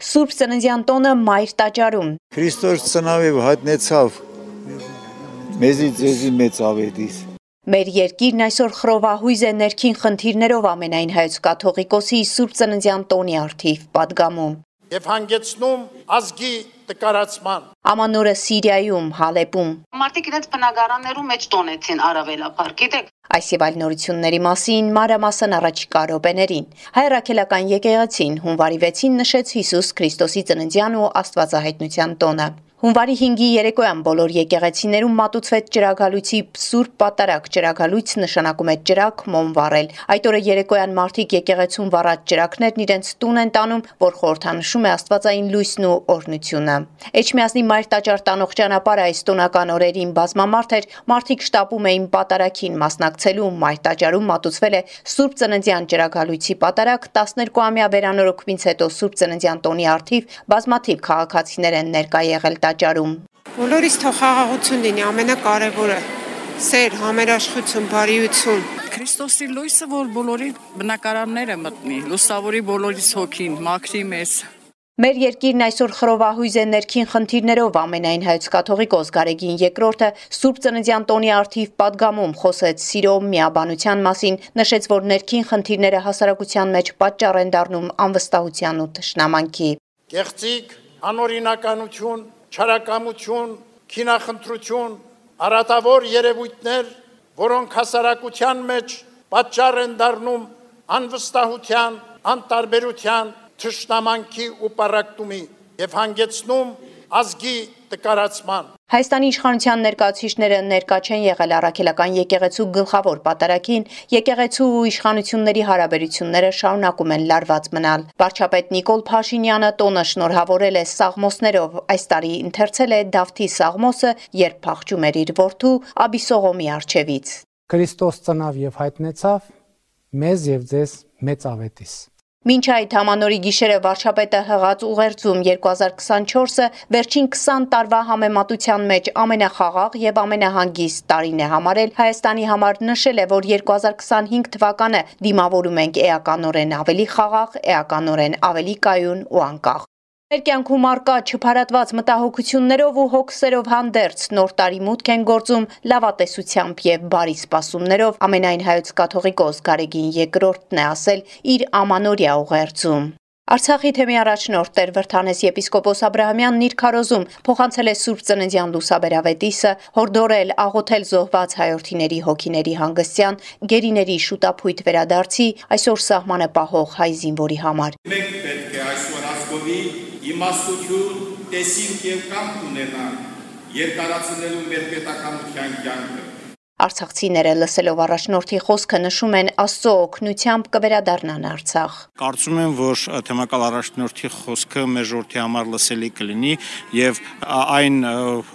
Սուրբ ծննդյան տոնը մայր տաճարում։ Քրիստոս ծնավև հայտնեցավ մեզի ձեզի մեծ ավետիս։ Մեր երկիրն այսօր խռովահույզ է ներքին խնդիրներով ամենայն հայոց կաթողիկոսի Սուրբ ծննդյան տոնի առթիվ պատգամում։ Եվ հանգեցնում ազգի տկարացման։ Ամանորը Սիրիայում, Հալեպում։ Մարդիկ իրենց բնակարաններում մեջ տոնեցին առավելապար, գիտեք։ Այս եւ այլ նորությունների մասին մանրամասն առաջիկա րոպեներին։ Հայ ռաքելական եկեղեցին հունվարի 6-ին նշեց Հիսուս Քրիստոսի ծննդյան ու Աստվածահայտնության տոնը։ Հունվարի 5-ի երեկոյան բոլոր եկեղեցիներում մատուցվեց ջրագալույցի Սուրբ Պատարագ։ Ջրագալույց նշանակում է ջրակ, մոմ վառել։ Այդ օրը երեկոյան մարդիկ եկեղեցում վառած ջրակներն իրենց տուն են տանում, որ խորհրդանշում է աստվածային լույսն ու օրհնությունը։ Էջմիածնի մայր տաճար տանող ճանապարհը այս տոնական օրերին բազմամարդ էր, մարդիկ շտապում էին պատարագին մասնակցելու, մայր տաճարում մատուցվել է Սուրբ ծննդյան ջրագալույցի պատարագ, 12-ամյա վերանորոգումից հետո Սուրբ ծննդյան տոնի առթիվ բազմաթիվ քաղաքացիներ են ներկա եղել տաճարում։ Բոլորիս թող խաղաղություն լինի, ամենակարևորը սեր, համերաշխություն, բարիություն։ Քրիստոսի լույսը, որ բոլորի բնակարանները մտնի, լուսավորի բոլորիս հոգին, մաքրի մեզ։ Մեր երկիրն այսօր խռովահույզ է ներքին խնդիրներով ամենայն հայոց կաթողիկոս Գարեգին II Սուրբ ծննդյան տոնի առթիվ պատգամում խոսեց սիրո միաբանության մասին, նշեց, որ ներքին խնդիրները հասարակության մեջ պատճառ են դառնում անվստահության ու թշնամանքի։ Կեղծիք, անօրինականություն, չարակամություն, քինախնդրություն, արատավոր երևույթներ, որոնք հասարակության մեջ պատճառ են դառնում անվստահության, անտարբերության, թշնամանքի ու պառակտումի եւ հանգեցնում ազգի տկարացման։ Հայաստանի իշխանության ներկայացուցիչները ներկա չեն եղել առաքելական եկեղեցու գլխավոր պատարագին, եկեղեցու ու իշխանությունների հարաբերությունները շարունակում են լարված մնալ։ Վարչապետ Նիկոլ Փաշինյանը տոնը շնորհավորել է սաղմոսներով, այս տարի ընթերցել է Դավթի սաղմոսը, երբ փախչում էր իր որդու Աբիսողոմի առջևից։ Քրիստոս ծնավ եւ հայտնեցավ մեզ եւ ձեզ մեծ ավետիս։ Մինչ այդ ամանորի գիշերը վարչապետը հղած ուղերձում 2024-ը վերջին 20 տարվա համեմատության մեջ ամենախաղաղ եւ ամենահանգիստ տարին է համարել Հայաստանի համար, նշել է, որ 2025 թվականը դիմավորում ենք էականորեն ավելի խաղաղ, էականորեն ավելի կայուն ու անկախ։ Մեր կյանքում առկա չփարատված մտահոգություններով ու հոգսերով հանդերձ նոր տարի մուտք են գործում լավատեսությամբ եւ բարի սպասումներով, ամենայն հայոց կաթողիկոս Գարեգին II-ն է ասել իր ամանորյա ուղերձում։ Արցախի թեմի առաջնորդ Տեր Վրդանես եպիսկոպոս Աբրահամյանն իր քարոզում փոխանցել է Սուրբ ծննդյան լուսաբերավետիսը, հորդորել աղոթել զոհված հայրենիների հոգիների հանգստյան, գերիների շուտափույթ վերադարձի, այսօր սահմանը պահող հայ զինվորի համար։ Մենք պետք է այսօր ազգովի իմաստություն, տեսիլք եւ կամք ունենանք երկարացնելու մեր պետականության կյանքը։ Արցախցիները լսելով առաջնորդի խոսքը նշում են Աստծո օգնությամբ կվերադառնան Արցախ։ Կարծում եմ, որ թեմակալ առաջնորդի խոսքը մեր ժողովրդի համար լսելի կլինի եւ այն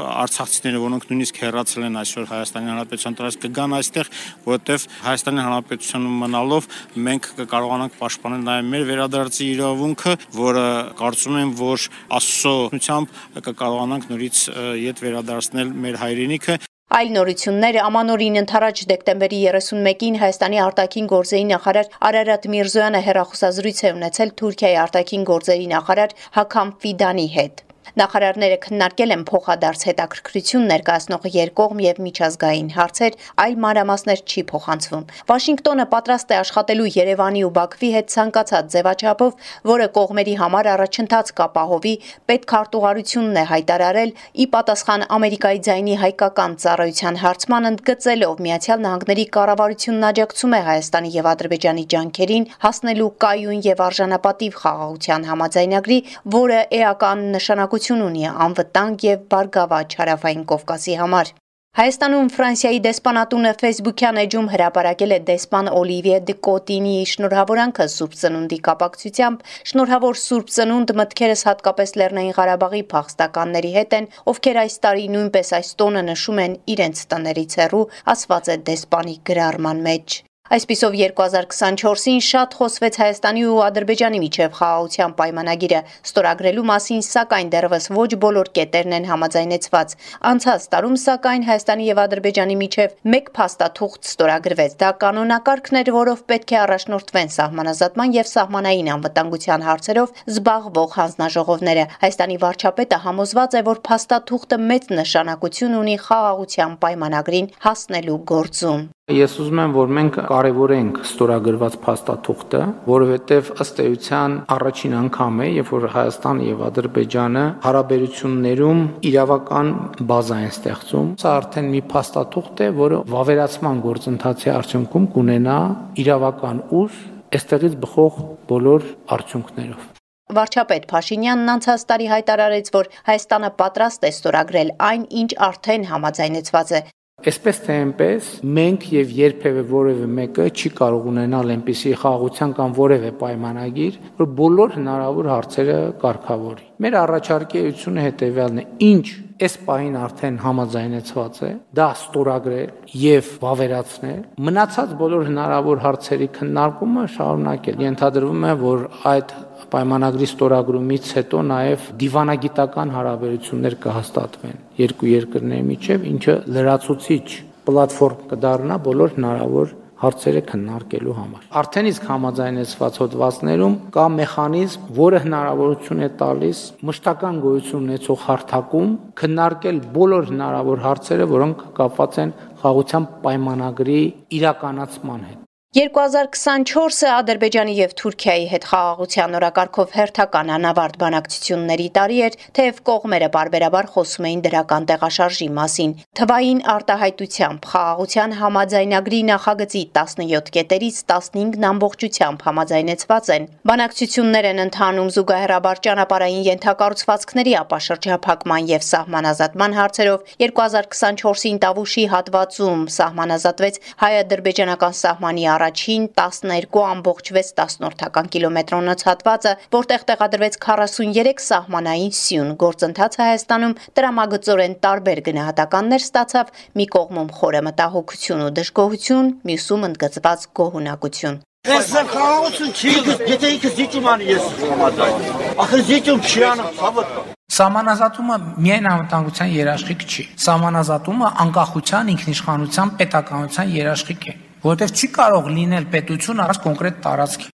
արցախցիները, որոնք նույնիսկ հեռացել են այսօր Հայաստանի Հանրապետության տարածք կգան այստեղ, որովհետեւ Հայաստանի Հանրապետությունում մնալով մենք կկարողանանք պաշտպանել նաեւ մեր վերադարձի իրավունքը, որը կարծում եմ, որ Աստծո օգնությամբ կկարողանանք նորից ետ վերադարձնել մեր հայրենիքը։ Այլ նորություններ ամանորին ընթരാճ դեկտեմբերի 31-ին Հայաստանի արտաքին գործերի նախարար Արարատ Միրզոյանը հեռախոսազրույց է ունեցել Թուրքիայի արտաքին գործերի նախարար Հաքամ Ֆիդանի հետ։ Նախարարները քննարկել են փոխադարձ հետաքրքրություն ներկայացնող երկկողմ եւ միջազգային հարցեր, այլ մանրամասներ չի փոխանցվում։ Վաշինգտոնը պատրաստ է աշխատելու Երևանի ու Բաքվի հետ ցանկացած ձևաչափով, որը կողմերի համար առաջընթաց կապահովի, պետքարտուղարությունն է հայտարարել ի պատասխան Ամերիկայի ձայնի հայկական ծառայության հարցման, ընդգծելով Միացյալ Նահանգների կառավարությունն աջակցում է Հայաստանի եւ Ադրբեջանի ջանքերին հասնելու կայուն եւ արժանապատիվ խաղաղության համաձայնագրի, որը էական նշանակություն ունի անվտանգ եւ բարգավաճ Հարավային Կովկասի համար։ Հայաստանում Ֆրանսիայի դեսպանատունը Facebook-յան էջում հրապարակել է դեսպան Օլիվիե դե Կոտինիի շնորհավորանքը Սուրբ Ծնունդի կապակցությամբ, շնորհավոր Սուրբ Ծնունդ մտքերս հատկապես Լեռնային Ղարաբաղի փախստականների հետ են, ովքեր այս տարի նույնպես այս տոնը նշում են իրենց տներից հեռու, ասված է դեսպանի գրառման մեջ։ Այսպիսով 2024-ին շատ խոսվեց Հայաստանի ու Ադրբեջանի միջև խաղաղության պայմանագիրը ստորագրելու մասին, սակայն դեռևս ոչ բոլոր կետերն են համաձայնեցված։ Անցած տարում, սակայն Հայաստանի եւ Ադրբեջանի միջև մեկ փաստաթուղթ ստորագրվեց։ Դա կանոնակարգն էր, որով պետք է առաջնորդվեն սահմանազատման եւ սահմանային անվտանգության հարցերով զբաղվող հանձնաժողովները։ Հայաստանի վարչապետը համոզված է, որ փաստաթուղթը մեծ նշանակություն ունի խաղաղության պայմանագրին հասնելու գործում։ Ես ուզում եմ, որ մենք կարևորենք ստորագրված փաստաթուղթը, որովհետև ըստ էության առաջին անգամ է, երբ որ Հայաստանը եւ Ադրբեջանը հարաբերություններում իրավական բազա են ստեղծում։ Սա արդեն մի փաստաթուղթ է, որը վավերացման գործընթացի արդյունքում կունենա իրավական ուժ, այստեղից բխող բոլոր արդյունքներով։ Վարչապետ Փաշինյանն անցած տարի հայտարարեց, որ Հայաստանը պատրաստ է ստորագրել այն, ինչ արդեն համաձայնեցված է։ Այսպես թե այնպես, մենք եւ երբևէ որևէ մեկը չի կարող ունենալ այնպիսի խաղաղության կամ որևէ պայմանագիր, որ բոլոր հնարավոր հարցերը կարգավորի։ Մեր առաջարկությունը հետեւյալն է. ինչ այս պահին արդեն համաձայնեցված է, դա ստորագրել եւ վավերացնել, մնացած բոլոր հնարավոր հարցերի քննարկումը շարունակել։ Ենթադրվում է, որ այդ պայմանագրի ստորագրումից հետո նաև դիվանագիտական հարաբերություններ կհաստատվեն երկու երկրների միջև, ինչը լրացուցիչ պլատֆորմ կդառնա բոլոր հնարավոր հարցերը քննարկելու համար։ Արդեն իսկ համաձայնեցված հոդվածներում կա մեխանիզմ, որը հնարավորություն է տալիս մշտական գոյություն ունեցող հարթակում քննարկել բոլոր հնարավոր հարցերը, որոնք կապված են խաղաղության պայմանագրի իրականացման հետ։ 2024-ը Ադրբեջանի եւ Թուրքիայի հետ խաղաղության օրակարգով հերթական անավարտ բանակցությունների տարի էր, թեև կողմերը բարբերաբար խոսում էին դրական տեղաշարժի մասին։ Թվային արտահայտությամբ խաղաղության համաձայնագրի նախագծի 17 կետերից 15-ն ամբողջությամբ համաձայնեցված են։ Բանակցություններ են ընթանում զուգահեռաբար ճանապարհային ենթակառուցվածքների ապաշրջափակման եւ սահմանազատման հարցերով։ 2024-ին Տավուշի հատվածում սահմանազատվեց հայ-ադրբեջանական սահմանի առաջին 12.6 կիլոմետրոնոց հատվածը, որտեղ տեղադրվեց 43 սահմանային սյուն։ Գործընթացը Հայաստանում տրամագծորեն տարբեր գնահատականներ ստացավ՝ մի կողմում խորը մտահոգություն ու դժգոհություն, մյուսում ընդգծված գոհունակություն։ Այսօր խաղաղություն չի, եթե ինքը զիջում անի ես համաձայն։ Ախր զիջում չի անում, ցավոտ։ Սահմանազատումը միայն անվտանգության երաշխիք չի։ Սահմանազատումը անկախության, ինքնիշխանության, պետականության երաշխիք է, որովհետև չի կարող լինել պետություն առանց կոնկրետ տարածքի։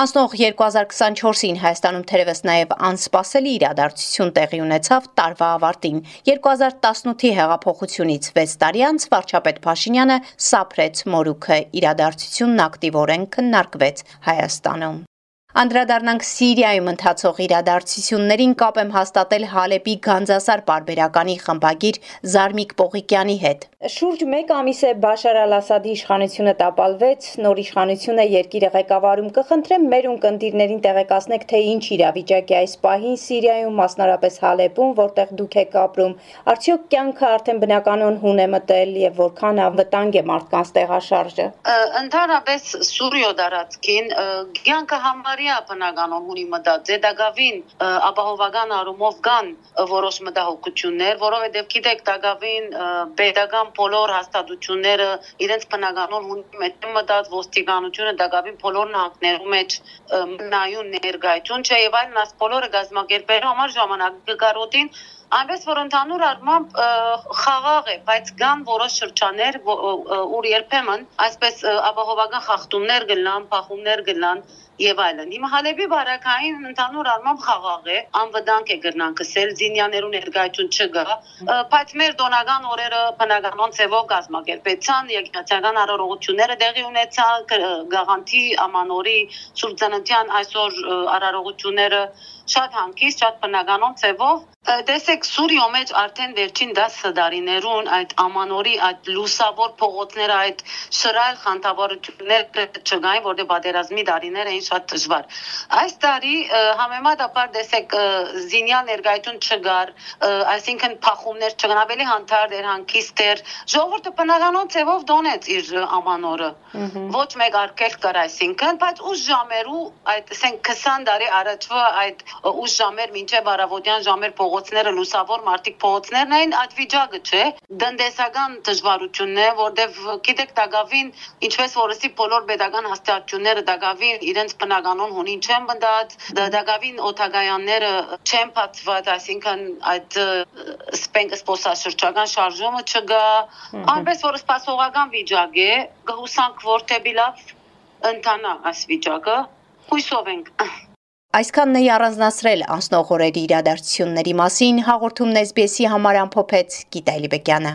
Անցնող 2024-ին Հայաստանում թերևս նաև անսպասելի իրադարձություն տեղի ունեցավ տարվա ավարտին։ 2018-ի հեղափոխությունից 6 տարի անց վարչապետ Փաշինյանը սափրեց մորուքը, իրադարձությունն ակտիվորեն քննարկվեց Հայաստանում։ Անդրադառնանք Սիրիայում ընթացող իրադարձություններին, կապ եմ հաստատել Հալեպի Գանձասար պարբերականի խմբագիր Զարմիկ Պողիկյանի հետ։ Շուրջ 1 ամիս է Բաշար Ալ-Ասադի իշխանությունը տապալվեց, նոր իշխանությունը երկիրը ղեկավարում։ Կխնդրեմ մեր ունկնդիրներին տեղեկացնեք, թե ինչ իրավիճակ է այս պահին Սիրիայում, մասնարապես Հալեպում, որտեղ դուք եք ապրում։ Արդյոք կյանքը արդեն բնականon հուն է մտել եւ որքան անվտանգ է մարդկանց տեղաշարժը։ Ընդհանրապես Սուրիո դարածքին կյանքը համարյա բնականon հունի մտած է, դակավին ապահովական առումով կան որոշ մտահոգություններ, որովհետեւ գիտեք դակավին պետական բոլոր հաստատությունները իրենց բնականon հունի մեջ մտած ոստիկանությունը դակավին բոլոր նահանգներում մեջ նայուն ներկայություն չէ եւ այլն, այս բոլորը գազམ་ակերպելու համար ժամանակ կկարոտին այնպես որ ընդհանուր առմամբ խաղաղ է, բայց կան որոշ շրջաններ, ուր երբեմն այսպես ապահովական խախտումներ կլան, փախումներ կլան եւ այլն։ Հիմա Հալեպի բարակային ընդհանուր առմամբ խաղաղ է, անվտանգ է գրնան կսել, զինյաներու ներկայություն չկա, բայց մեր տոնական օրերը բնականon ծևով գազམ་ակերպեցան, եկեղեցական արարողությունները տեղի ունեցան, գաղանթի ամանորի սուրբծանոթյան այսօր արարողությունները շատ հանգիստ, շատ բնականon ծևով Տեսեք Սուրիո մեջ արդեն վերջին 10 տարիներուն այդ ամանորի այդ լուսավոր փողոցները այդ շռայլ խանդավառությունները չկային, որտեղ պատերազմի տարիներ էին շատ դժվար։ Այս տարի համեմատաբար տեսեք զինյալ ներկայություն չկար, այսինքն փախումներ չկան, ավելի հանդարտ էր, հանգիստ էր։ Ժողովուրդը բնականon ծևով դոնեց իր ամանորը։ Ոչ մեկ արկել կար, այսինքն, բայց ուշ ժամերու այդ ասենք 20 տարի առաջվա այդ ուշ ժամեր մինչև առավոտյան ժամեր փողոցները լուսավոր մարդիկ փողոցներն էին, այդ վիճակը չէ, դնդեսական դժվարությունն է, որտեվ գիտեք դակավին ինչպես որսի բոլոր pedagogan հաստատությունները դակավին իրենց բնականon հունին չեն բնդած, դակավին օթագայանները չեն փաթված, այսինքն այդ սպոսաշրջական շարժումը չկա, այնպես որ սպասողական վիճակ է, գհուսանք որ թեպի լավ ընթանա այս վիճակը, հույսով ենք։ Այսքանն է առանձնացրել անցնող օրերի իրադարձությունների մասին հաղորդումն SBS-ի համար ամփոփեց Գիտալի Բեկյանը։